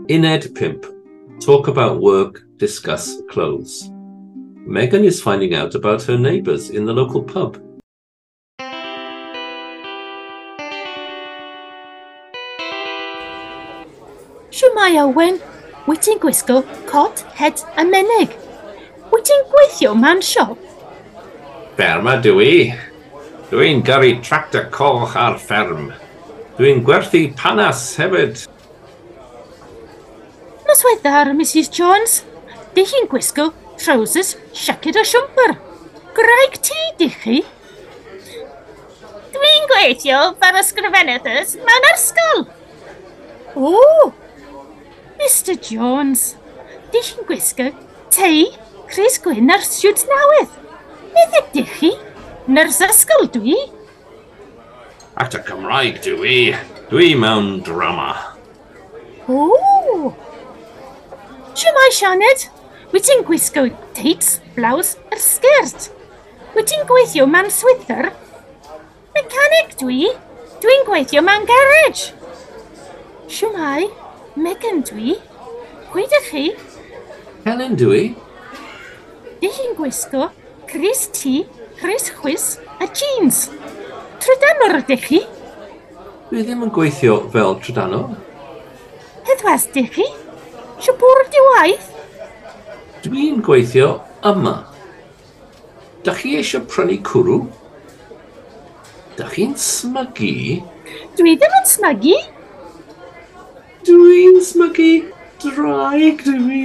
Uned 5. Talk about work, discuss clothes. Megan is finding out about her neighbours in the local pub. Shwmae Owen, wyt ti'n gwisgo cot, het a menig? Wyt ti'n gweithio mewn siop? Fferma dw i. Dwi'n gyrru tractor coch ar fferm. Dwi'n gwerthu panas hefyd. Noswaith dda, Mrs Jones. Dych chi'n gwisgo trowsus, siaced a siwmper. Gwraig ti, dych chi? Dwi'n gweithio fel ysgrifenyddes mewn ysgol. O, Mr Jones, dych chi'n gwisgo tei, crys gwyn a'r siwt newydd. Beth ydych chi? Nyrs ysgol dwi. Actor Cymraeg dw i. Dwi mewn drama. O! Shwmae, Sioned? Wyt ti'n gwisgo teits, blouse a'r sgert? Wyt ti'n gweithio mewn swyddfa? Mechanic dwi. Dwi'n gweithio mewn garage. Shwmae, Megan dwi. Pwy ydych chi? Helen dw i. Dych chi'n gwisgo crys T, crys chwys a jeans. Trydanwr ydych chi? Dwi ddim yn gweithio fel trydanwr. Heddwas dych chi? Siwr di waith? Dwi'n gweithio yma. Dach chi eisiau prynu cwrw? Dach chi'n smygu? Dwi ddim yn smygu. Dwi'n smygu. Draig dw i.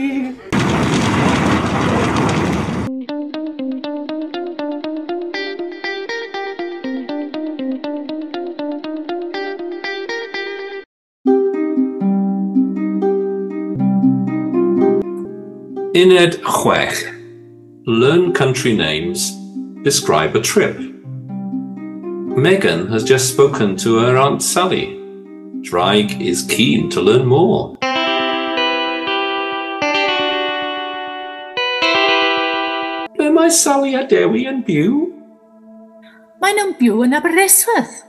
Uned 6. Learn country names, describe a trip. Megan has just spoken to her Aunt Sally. Draig is keen to learn more. Ble mae Sally a Dewi yn byw? Maen nhw'n byw yn Aberystwyth.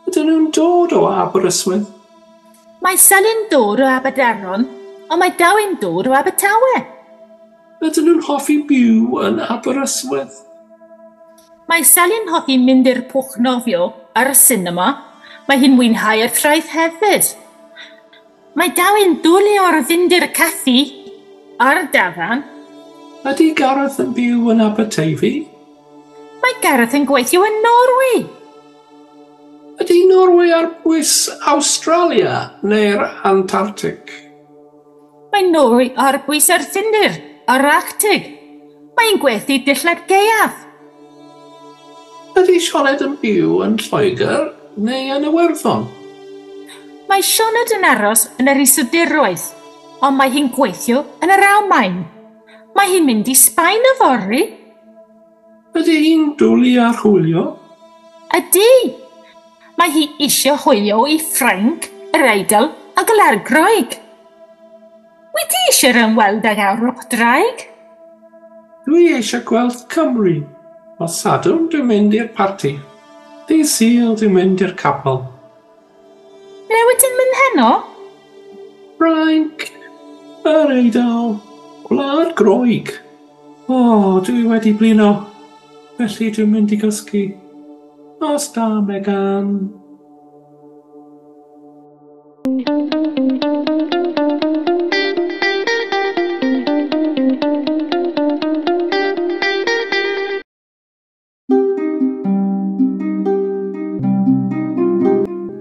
Ydyn nhw'n dod o Aberystwyth? Mae Sally'n dod o Aberdaron, ond mae Dewi'n dod o Abertawe. Ydyn nhw'n hoffi byw yn Aberystwyth? Mae Sally'n hoffi mynd i'r pwll nofio a'r sinema. Mae hi'n mwynhau'r traeth hefyd. Mae Dewi'n dwlu ar fynd i'r caffi a'r dafarn. Ydy Gareth yn byw yn Aberteifi? Mae Gareth yn gweithio yn Norwy. Ydy Norwy ar bwys Awstralia neu'r Antarctic? Mae Norwy ar bwys yr Ffindir a'r Arctig. Mae'n gwerthu dillad gaeaf. Ydy Sioned yn byw yn Lloegr neu yn Iwerddon? Mae Sioned yn aros yn yr Iseldiroedd, ond mae hi'n gweithio yn yr Almaen. Mae hi'n mynd i Sbaen yfory. Ydy hi'n dwlu ar hwylio? Ydy. Mae hi eisiau hwylio i Ffrainc, yr Eidal a Gwlad Groeg. Wyt ti eisiau ymweld ag Ewrop, Draig? Dwi eisiau gweld Cymru. Nos Sadwrn dwi'n mynd i'r parti. Dydd Sul dwi'n mynd i'r capel. Ble wyt ti'n mynd heno? Ffrainc, yr Eidal, Gwlad Groeg. O, dwi wedi blino. Felly dwi'n mynd i gysgu. Nos da, Megan.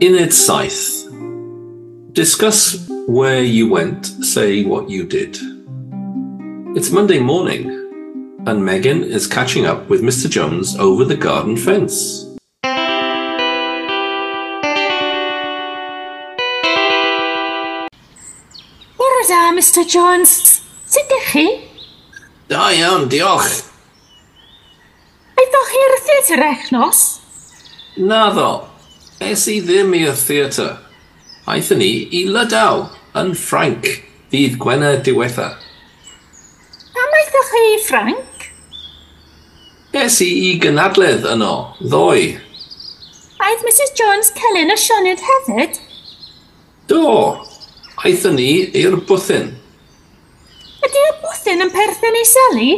Uned 7. Discuss where you went, say what you did. It's Monday morning, and Megan is catching up with Mr. Jones over the garden fence. Bore da, Mr Jones. Sut ydych chi? Da iawn, diolch. Aethoch chi i'r theatr echnos? Naddo, es i ddim i'r theatr. Aethon ni i Lydaw, yn Ffrainc, ddydd Gwener diwetha. Pam aethoch chi i Ffrainc? Es i i gynadledd yno, ddoe. Aeth Mrs Jones, Celyn a Sioned hefyd? Do, Aethon ni i'r bwthyn. Ydy'r bwthyn yn perthyn i Sally?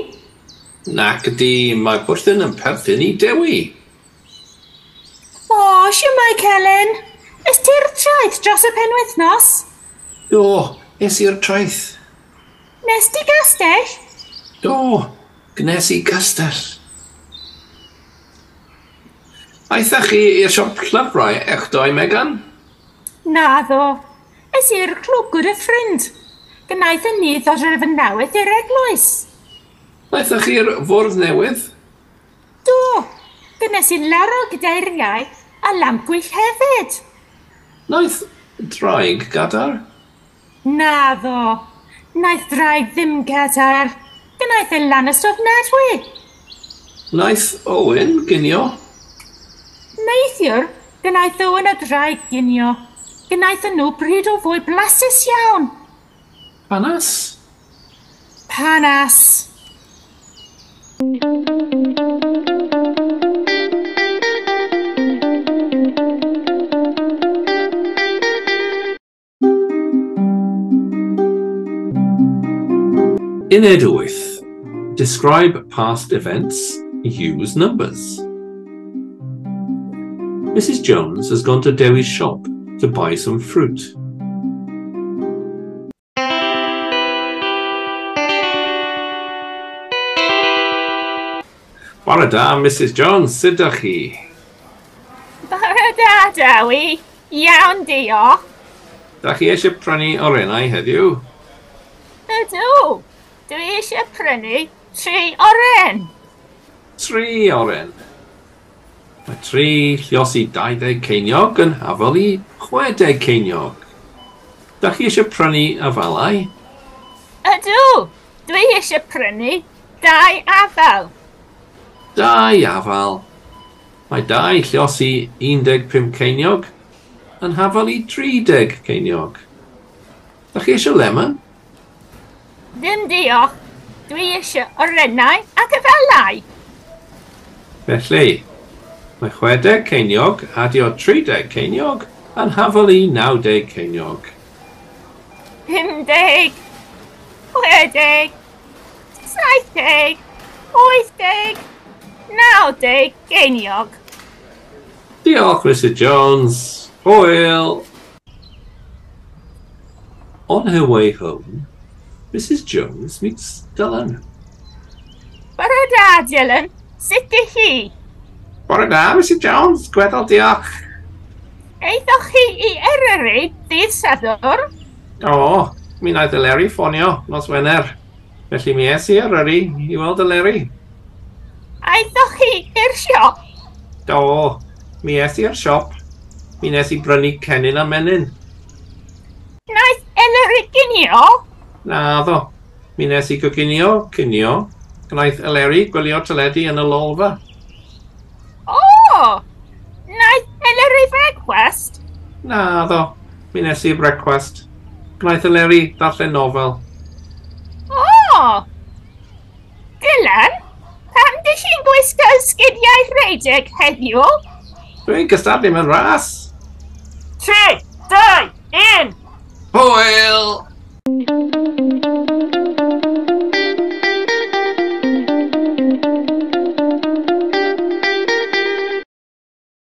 Nac ydy, mae bwthyn yn perthyn i Dewi. O, siwmai Celyn. Es ti'r traeth dros y penwythnos? Do, es i'r traeth. Nes di gastell? Do, gnes i gastell. Aethoch chi i'r siop llyfrau echddoe, Megan? Naddo. Es i'r clwb gyda ffrind. Gwnaethon ni ddod â fy newydd i'r eglwys. Aethoch chi'r fwrdd newydd? Do. Gwnes i laro gydairiau a lampgwyll hefyd. Wnaeth draig gadair? Naddo. Wnaeth draig ddim gadair. Gwnaeth e lanast ofnadwy. Wnaeth Owen ginio? Neithiwr, gwnaeth Owen a draig ginio. Gwnaethon nhw bryd o fwyd blasus iawn. Panas? Panas. Uned 8. Describe past events, use numbers. Mrs. Jones has gone to Dewi's shop to buy some fruit. Bore da, Mrs. Jones, sut ydych chi? Bore da, Dewi. Iawn, diolch. Dach chi eisiau prynu orennau heddiw? Ydw. Dwi eisiau prynu 3 oren. 3 oren. Mae 3 lliosi 20 ceiniog yn hafal i 60 ceiniog. Dach chi eisiau prynu afalau? Ydw. Dwi eisiau prynu 2 afal. 2 afal. Mae 2 lliosi 15 ceiniog yn hafal i 30 ceiniog. Dach chi eisiau lemon? Ddim diolch. Dwi eisiau orennau ac afalau. Felly, mae 60 ceiniog adio 30 ceiniog yn hafal i 90 ceiniog. 50, 60, 70, 80, 90 geiniog. Diolch, Mrs. Jones. Hwyl. On her way home, Mrs. Jones meets Dylan. Bore da, Dylan. Sut ydych chi? Bore da, Mrs. Jones. Gweddol, diolch. Aethoch chi i Eryri ddydd Sadwrn? O, mi wnaeth Eleri ffonio nos Wener. Felly mi es i Eryri i weld Eleri. Aethoch chi i'r siop? Do, mi es i'r siop. Mi nes i brynu cennin a menyn. Wnaeth Eleri ginio? Naddo. Mi nes i goginio cinio. Gwnaeth Eleri gwylio teledu yn y lolfa. O! Wnaeth Eleri brecwast? Naddo. Mi nes i brecwast. Gwnaeth Eleri ddarllen nofel. O! Dylan, pam dych chi'n gwisgo sgidiau rhedeg heddiw? Dwi'n cystadlu mewn ras. 3, 2, 1! Hwyl!